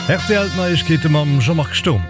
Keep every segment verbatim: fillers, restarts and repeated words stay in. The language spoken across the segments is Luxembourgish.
R T L Neiegkeete mam Jean-Marc Sturm.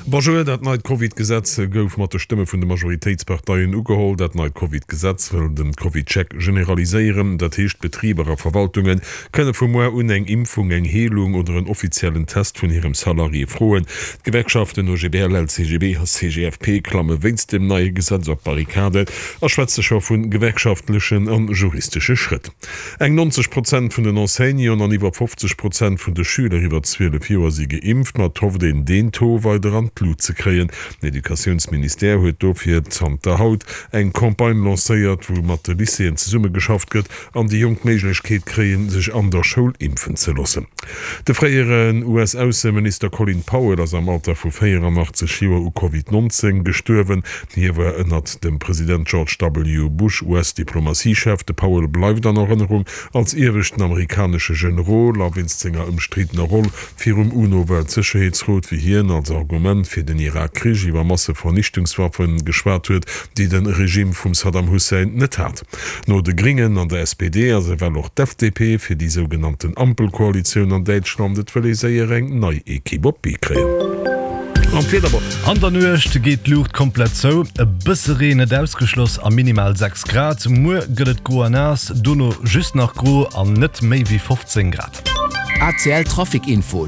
Bonjour, dat neit Covid-Gesetz gouf mat de Stëmme vun de Majoritéitsparteien ugeholl. Dat neit Covid-Gesetz wëll den Covid-Check generaliséieren. Dat heescht, Betriber a Verwaltunge kënne vu muer un eng Impfung, eng Heelung oder en offiziellen Test vun hirem Salarié froen. D'Gewerkschaften O G B L, L C G B a C G F P klamme wéinst dem neie Gesetz op d'Barrikaden a schwätze scho vu gewerkschaftlechen an juristesche Schrëtt. Eng neunzeg Prozent vun den Enseignanten an iwwer fofzeg Prozent vun de Schüler iwwer zwielef Joer si geimpft, ma et hofft een deen Taux weider an d'Lut ze kréien. Den Educatiounsministère huet dofir zanter haut eng Campagne lancéiert, wou mat de Lycéeën zesummegeschafft gëtt an déi Jonk d'Méiglechkeet kréien, sech an der Schoul impfen ze loossen. De fréieren U S-Ausseminister Colin Powell ass am Alter vu véieranachtzeger Joer u Covid neunzéng gestuerwen. Hie war ënnert dem President George W. Bush U S-Diplomatiechef. De Powell bleift an Erënnerung als ieweschten amerikanesche Generol a wéinst senger ëmstriddener Roll virum UNO-Weltsécherheetsrot, wéi hien als Argument fir den Irak-Krich iwwer Massevernichtungswaffe geschwat huet, déi de Regime vum Saddam Hussein net hat. No de Gringen an der S P D ass ewell och d'F D P fir déi sougenannten Ampelkoalitioun an Däitschland. Et wëll ee séier eng nei Ekipp op d'Bee kréien. An d'Wiederbon. An der Nuecht geet d'Luucht komplett zou, e bësse Reen net ausgeschloss a minimal sechs Grad. Muer gëtt et gro a naass, dono just nach gro an net méi wéi fofzéng Grad. A C L Trafic Info.